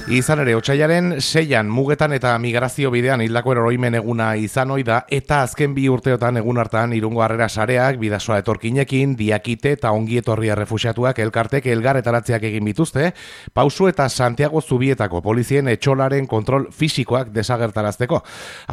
Izan ere, otsailaren 6an mugetan eta migrazio bidean hildako oroimen eguna izan ohi da, eta azken 2 urteotan egun hartan Irungo Harrera Sareak, Bidasoa etorkinekin, Diakite eta Ongietorri errefuxiatuak elkartek elgarretaratzeak egin bituzte, Pausu eta Santiago Zubietako polizien etxolaren kontrol fisikoak desagertarazteko.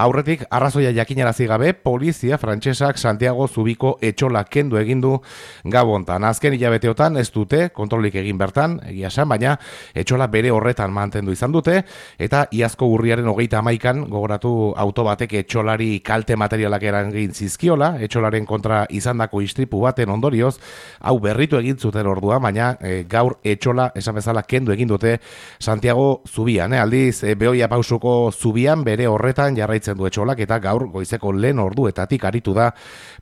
Aurretik, arrazoia jakinarazi gabe, polizia frantsesak Santiago Zubiko etxola kendu egindu Gabontan. Azken hilabeteotan ez dute kontrolik egin bertan, egia esan, baina etxola bere horretan mantendu izan dute, eta iazko urriaren 31an gogoratu auto batek etxolari kalte materialak eragin zizkiola, etxolaren kontra izandako istripu baten ondorioz, hau berritu egin zuten ordua, baina gaur etxola esan bezala kendu egin dute Santiago Zubian. Aldiz, Beoia Pausuko Zubian bere horretan jarraitzen du etxolak, eta gaur goizeko lehen orduetatik aritu da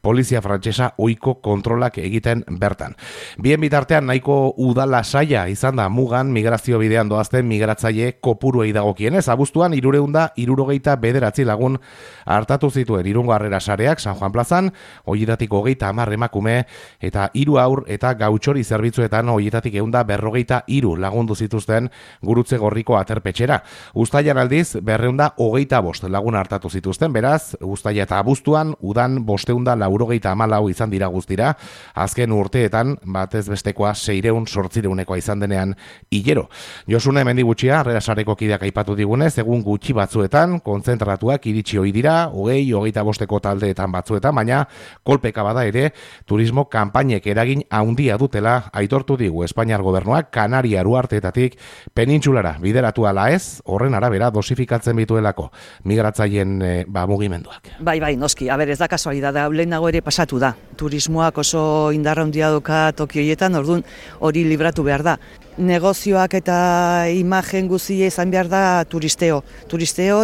polizia frantsesa ohiko kontrolak egiten bertan. Bien bitartean nahiko udala saia izan da mugan migrazio bidean doazten migratzaile kopuruei dagokienez. Abuztuan 369 lagun hartatu zituen Irungo Harrera Sareak San Juan plazan, horietatik 30 emakume eta 3 haur eta gautxori zerbitzuetan horietatik 153 lagundu zituzten Gurutze Gorriko aterpetxera. Uztailan aldiz 225 lagun hartatu zituzten, beraz, uztaila eta abuztuan udan 594 izan dira guztira, azken urteetan batez bestekoa 600-800 izan denean hilero. Josune Mendigutxia, Harrera Sareko kideak aipatu digunez, egun gutxi batzuetan, kontzentratuak iritsi ohi dira, 20-25 taldeetan batzuetan, baina kolpeka bada ere, turismo kanpainek eragin handia dutela aitortu digu Espainiar gobernuak Kanaria Uharteetatik penintsulara bideratu ala ez, horren arabera dosifikatzen bituelako migratzaileen mugimenduak. Bai, noski, ez da kasualidadea, lehenago ere pasatu da. Turismoak oso indarra handia doka toki horietan, orduan hori libratu behar da. Negozioak eta imagen guztia izan behar da turisteo,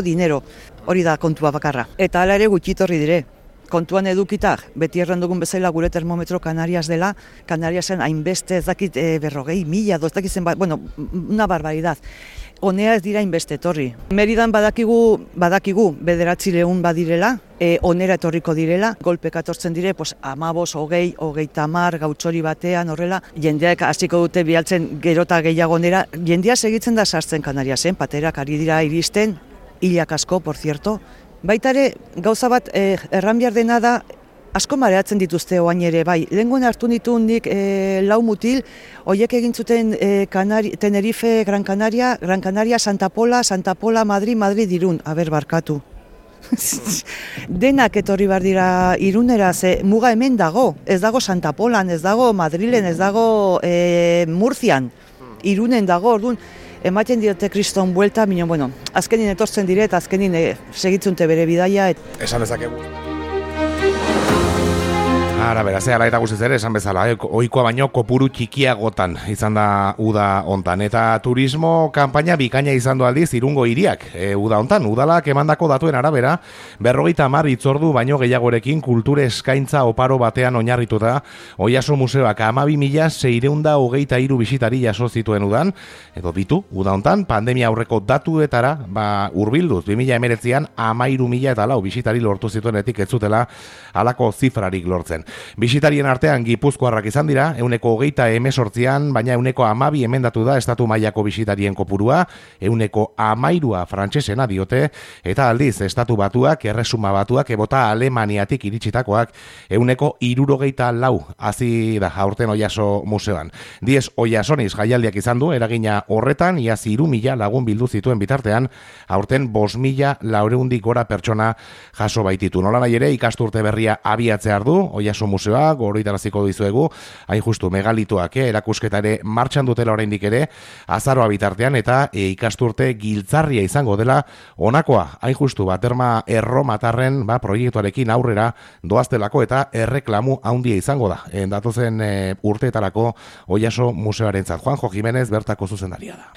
dinero, hori da kontua bakarra. Eta hala ere gutxitorri dire. Kontuan edukitak, beti erran dugun bezala gure termometro Kanarias dela, Kanariasen hainbeste ez dakit 40.000, ez dakit zenbat, una barbaridad. Honea ez dira hainbeste etorri. Meridan badakigu 900 badirela, onera etorriko direla, golpeka etortzen dire, 15, 20, 30 gautxori batean, horrela, jendeak hasiko dute bialtzen gerota gehiago onera, jendea segitzen da sartzen Kanariasen, paterak ari dira iristen, hilak asko, por cierto. Baitare, gauza bat erran behar dena da, asko mareatzen dituzte oain ere, bai. Lehengoen hartu nik 4 mutil, horiek egin zuten Tenerife, Gran Canaria, Santa Pola, Madrid, Irun, barkatu. Denak etorri behar dira Irunera, ze muga hemen dago, ez dago Santa Polan, ez dago Madrilen, ez dago Murzian, Irunen dago, orduan, ematen diote kriston buelta, azkenin etortzen dire eta azkenin segitzunte bere bidaia. Esan dezakegu. Ara, beraz, eta guztiz ere, esan bezala, ohikoa baino kopuru txikiagotan izan da uda hontan. Eta turismo kanpaina bikaina izan du aldiz Irungo hiriak uda hontan. Udalak emandako datuen arabera, 50 hitzordu baino gehiagorekin kulture eskaintza oparo batean oinarrituta, Oiaso Museoak 12.623 bisitari jaso zituen udan, edo ditu, uda hontan, pandemia aurreko datuetara, hurbilduz, 2019an 13.004 bisitari lortu zituenetik ez zutela halako zifrarik lortzen. Bisitarien artean Gipuzkoarrak izan dira, 128an, baina 112 emendatu da estatu mailako bisitarien kopurua, 113 frantsesena diote, eta aldiz estatu batuak, erresuma batuak, ebota Alemaniatik iritsitakoak, 164 hazi da aurten Oiaso Museoan. 10 Oiasoniz jaialdiak izan du, eragina horretan, iaz 3.000 lagun bildu zituen bitartean, aurten 5.400 gora pertsona jaso baititu. Nola nahi ere, ikasturte berria abiatzear du, Oiaso Museoa, goroitaraziko dizuegu, hain justu megalitoak erakusketa ere martxan dutela oraindik ere, azaroa bitartean eta ikasturte giltzarria izango dela honakoa, hain justu baterma erromatarren proiektuarekin aurrera doaztelako eta erreklamu handia izango da. Datozen urteetarako Oiaso Museoarentzat. Juanjo Jimenez bertako zuzendaria da.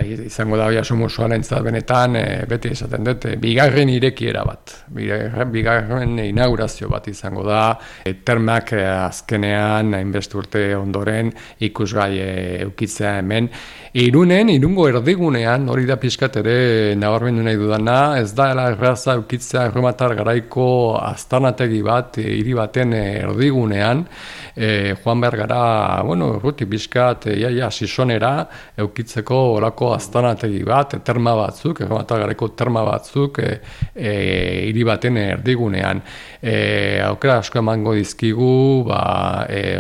Izango da Oiaso Museoarentzat benetan, beti esaten dut, bigarren irekiera bat, bigarren inaugurazio bat izango da, termak azkenean, hainbeste urte ondoren, ikusgai eukitzea hemen. Irungo erdigunean, hori da pixkat ere nabarmendu nahi dudana, ez da erraza eukitzea erromatar garaiko aztarnategi bat, hiri baten erdigunean, joan behar gara, urruti pixkat, sisonera, eukitzeko orako aztarnategi bat, terma batzuk, erromatar garaiko terma batzuk, hiri baten erdigunean. Aukera asko emango dizkigu,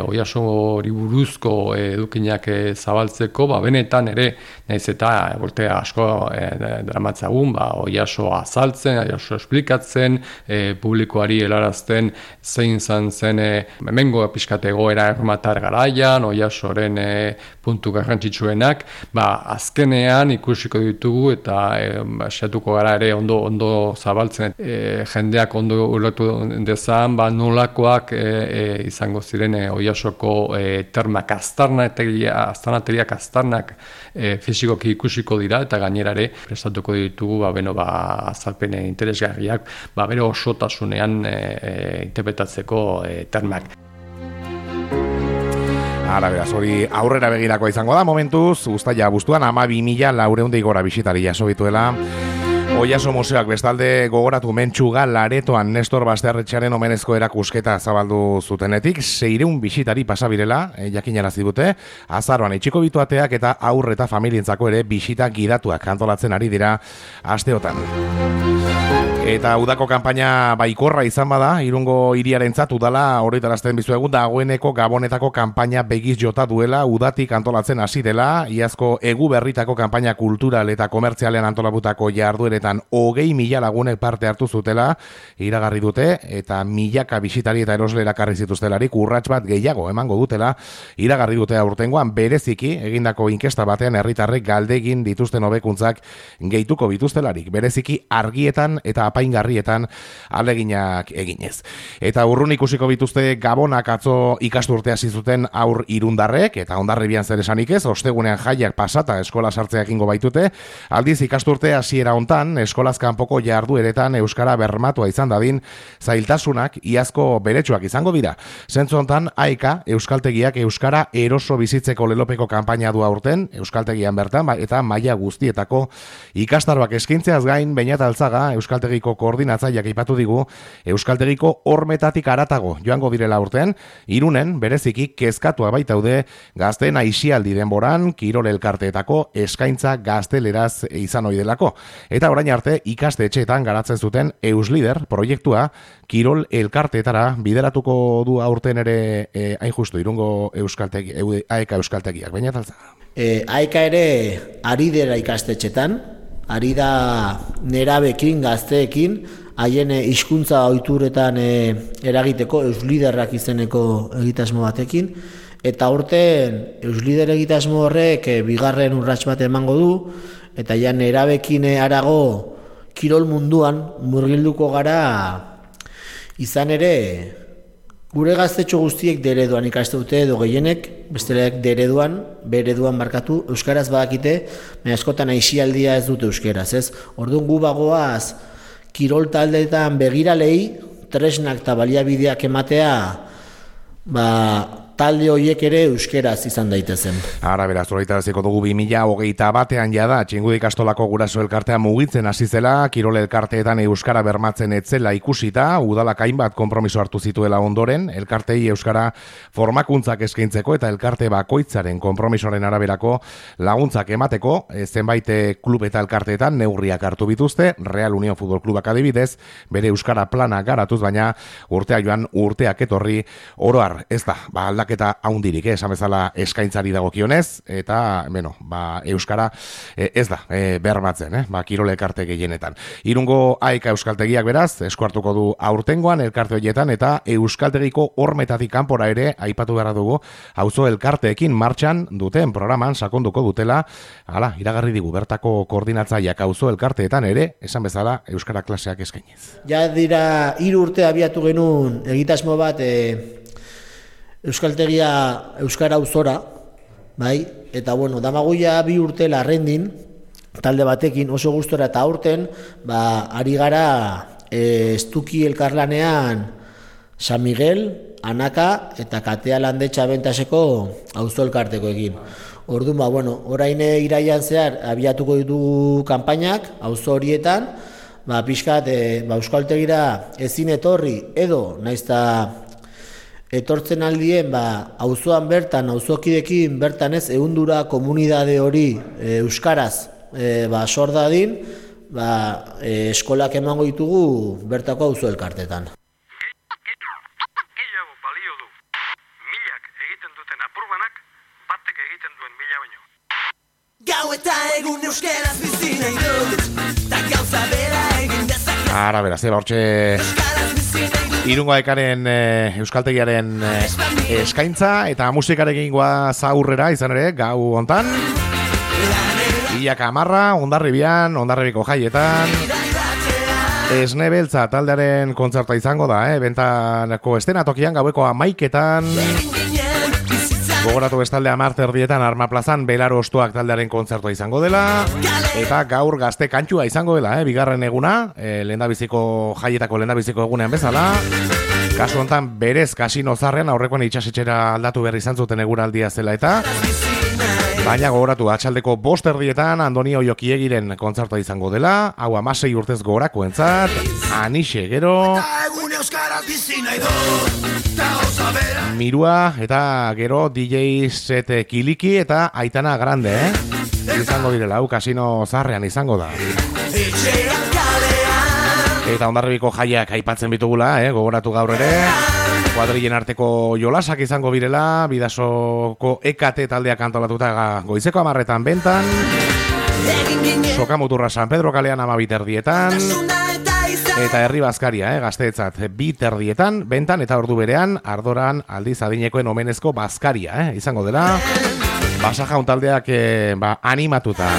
Oiaso hori buruzko edukinak zabaltzeko, benetan ere, nahiz eta urte asko dramatzagun, Oiaso azaltzen, Oiaso esplikatzen, publikoari helarazten zein zen hemengo pixkat egoera erromatar garaian, Oiasoren puntu garrantzitsuenak, azkenean ikusiko ditugu eta saiatuko gara ere ondo zabaltzen, jendeak ondo ulertu dezan, nolakoak izango ziren Oiasoko termak aztarnateriak aztarnak fizikoki ikusiko dira eta gainerare prestatuko ditugu azalpen interesgarriak bere osotasunean interpretatzeko termak. Ara, beraz, hori aurrera begirakoa izango da momentuz, uztaila abuztuan 12.400 gora bisitari jaso bituela. Oiaso Museoak bestalde gogoratu Mentxuga Laretoan Nestor Basterretxearen omenezko erakusketa zabaldu zutenetik 600 bisitari pasabirela, jakinarazi dute, azaroan itxiko bituateak eta haur eta familientzako ere bisita gidatuak antolatzen ari dira asteotan. Eta udako kanpaina baikorra izan bada, Irungo hiriarentzat udala horretarazten bizuegu dagoeneko Gabonetako kanpaina begiz jota duela udatik antolatzen hasi dela, iazko egu berritako kanpaina kultural eta komertzialean antolabutako jardueretan 20.000 lagunek parte hartu zutela, iragarri dute, eta milaka bisitari eta erosle erakarri zituztelarik urrats bat gehiago emango dutela, iragarri dute aurtengoan bereziki egindako inkesta batean herritarrek galdegin dituzten hobekuntzak gehituko bituztelarik, bereziki argietan eta apaingarrietan aleginak eginez. Eta urrun ikusiko bituzte Gabonak atzo ikasturte hasi zuten aur irundarrek, eta Hondarribian zer esanik ez, ostegunean jaiak pasata eskola sartzea egingo baitute, aldiz ikasturte hasiera hontan eskolaz kanpoko jardueretan euskara bermatua izan dadin zailtasunak iazko beretsuak izango dira. Zentzu hontan AEKA euskaltegiak euskara eroso bizitzeko lelopeko kanpaina du aurten, euskaltegian bertan eta maila guztietako ikastaroak eskaintzeaz gain Beñat Altzaga euskaltegiko koordinatzaileak aipatu digu euskaltegiko hormetatik haratago joango direla urtean, Irunen bereziki kezkatua baitaude gazteen aisialdi denboran kirol elkarteetako eskaintza gazteleraz izan ohi delako. Eta orain arte ikastetxeetan garatzen zuten Euslider proiektua kirol elkarteetara bideratuko du aurten ere hain justu Irungo euskaltegi AEKA euskaltegiak. Beñat Altzaga. AEKA ere ari dela ikastetxetan, ari da nerabekin, gazteekin, haien hizkuntza ohituretan eragiteko Eusliderrak izeneko egitasmo batekin, eta aurten Euslider egitasmo horrek bigarren urrats bat emango du, eta ja nerabekin harago kirol munduan murgilduko gara, izan ere gure gaztetxo guztiek dereduan ikaste dute edo gehienek, besteleak bereduan markatu, euskaraz badakite, baina askotan aisialdia ez dute euskaraz, ez? Orduan gu bagoaz kirol taldeetan begiralei tresnak eta baliabideak ematea, talde horiek ere euskeraz izan daitezen. Ara, beraz, horretaraziko dugu 2021 jada, Txingudi ikastolako guraso elkartea mugitzen hasi zela, kirol elkarteetan euskara bermatzen etzela ikusita, udalak hainbat konpromiso hartu zituela ondoren, elkartei euskara formakuntzak eskaintzeko eta elkarte bakoitzaren konpromisoaren araberako laguntzak emateko, zenbait klub eta elkarteetan neurriak hartu bituzte, Real Unión Futbol Klubak adibidez, bere euskara plana garatuz, baina urtea joan urteak etorri oroar, ez da, aldaketa haundirik, esan bezala eskaintzari dagokionez, eta, euskara ez da bermatzen, kirol elkarte gehienetan. Irungo AEKA euskaltegiak beraz, esku hartuko du aurtengoan elkarte horietan, eta euskaltegiko hormetatik kanpora ere, aipatu behar dugu, auzo elkarteekin martxan duten programan sakonduko dutela, iragarri digu, bertako koordinatzaileak auzo elkarteetan ere, esan bezala euskara klaseak eskainiz. Ja dira 3 urte abiatu genuen egitasmo bat euskaltegia euskara auzora, bai? Eta damagoia 2 urte larrendin talde batekin oso gustora eta aurten, ari gara estuki elkarlanean San Miguel, Anaka eta Katea Landetxa Bentaseko auzo elkartekoekin. Orduan, orain iraian zehar abiatuko ditugu kanpainak auzo horietan, pixkat euskaltegira ezin etorri edo naizta etortzen aldien auzoan bertan, auzokidekin bertan ez ehundura komunidade hori euskaraz sor dadin, eskolak emango ditugu bertako auzo elkartetan. Gehiago balio du. Milak egiten duten apurbanak batek egiten duen mila baino. Gau eta egun euskeraz bizi nahi dut, ta gauza bera egin dezake. Ara, beraz, hortxe Irungo Ekaren euskaltegiaren eskaintza eta musikarekin goaz aurrera izan ere gau hontan. Ilaka amarra, Hondarribian, Hondarribiko jaietan. Esne Beltza taldearen kontzerta izango da, bentanako estenatokian gaueko 11etan. Gogoratu bestalde 10:00 Arma Plazan Belaro Ostoak taldearen kontzertua izango dela. Eta gaur Gazte Kantxua izango dela, bigarren eguna, lehendabiziko jaietako lehendabiziko egunean bezala. Kasu honetan berez Kasino Zarrean aurrekoan itxasetxera aldatu berri izan zuten eguraldia zela eta. Baina gogoratu atxaldeko 5:00 Andoni Oiokiegiren kontzertua izango dela, hau 16 urtez gorakoentzat, Anixe gero, Mirua eta gero DJ Set Kiliki eta Aitana Grande, izango direla, hau Kasino Zarrean izango da. Eta Hondarribiko jaiak aipatzen bitugula, gogoratu gaur ere. Kuadrilen arteko jolasak izango birela, Bidasoko EKT taldeak antolatuta goizeko 10:00 bentan. Sokamuturra San Pedro kalean 12:00 eta Herri Bazkaria, Gazteetzat 2:00 bentan eta ordu berean Ardoran aldiz adinekoen omenezko bazkaria, izango dela. Basajaun taldeak animatuta.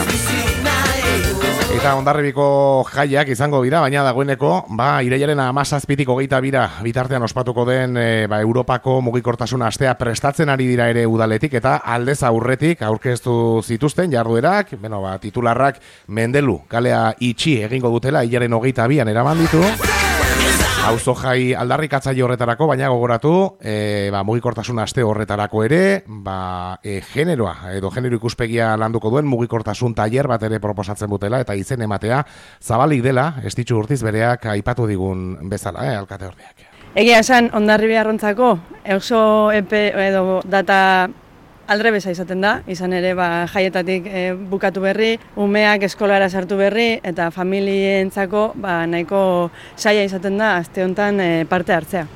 Eta Hondarribiko jaiak izango dira, baina dagoeneko, irailaren 17-tik 22 bitartean ospatuko den Europako mugikortasun astea prestatzen ari dira ere udaletik eta aldez aurretik aurkeztu zituzten jarduerak, titularrak Mendelu kalea itxi egingo dutela hilaren 22an eraman ditu. Auzo jai aldarrikatzaile horretarako, baina gogoratu, mugikortasun aste horretarako ere, generoa edo genero ikuspegia landuko duen mugikortasun tailer bat ere proposatzen dutela eta izen ematea zabalik dela, Estitxu Urtiz bereak aipatu digun bezala, alkate ordeak. Egia esan Hondarribiarrontzako oso epe edo data aldrebesa izaten da, izan ere jaietatik bukatu berri, umeak eskolara sartu berri eta familientzako nahiko saia izaten da aste honetan parte hartzea.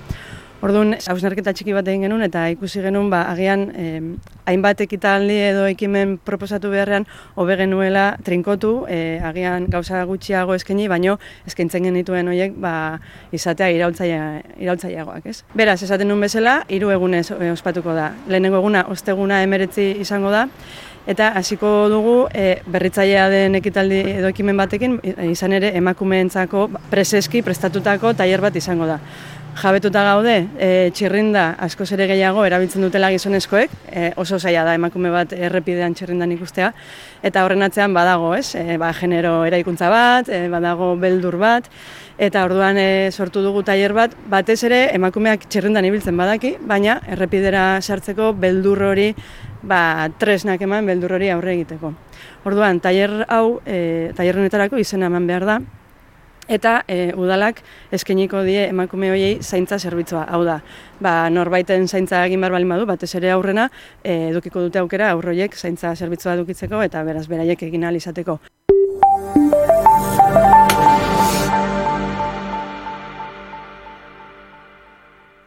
Orduan, hausnarketa txiki bat egin genuen eta ikusi genuen agian hainbat ekitaldi edo ekimen proposatu beharrean hobe genuela trinkotu, agian gauza gutxiago eskaini, baino eskaintzen genituen horiek izatea iraultzaileagoak, ez? Beraz, esaten nuen bezala, 3 egunez ospatuko da. Lehenengo eguna, osteguna 19 izango da, eta hasiko dugu berritzailea den ekitaldi edo ekimen batekin, izan ere emakumeentzako preseski prestatutako tailer bat izango da. Jabetuta gaude, txirrinda askoz ere gehiago erabiltzen dutela gizonezkoek, oso zaila da emakume bat errepidean txirrindan ikustea, eta horren atzean badago, ez? Genero eraikuntza bat, badago beldur bat, eta orduan sortu dugu tailer bat, batez ere emakumeak txirrindan ibiltzen badaki, baina errepidera sartzeko beldur hori, tresnak eman beldur hori aurre egiteko. Orduan, tailer honetarako izena eman behar da, eta udalak eskainiko die emakume horiei zaintza zerbitzua. Hau da, norbaiten zaintza egin behar balin badu, batez ere aurrena, edukiko dute aukera aurroiek zaintza zerbitzua edukitzeko eta beraz beraiek egin ahal izateko.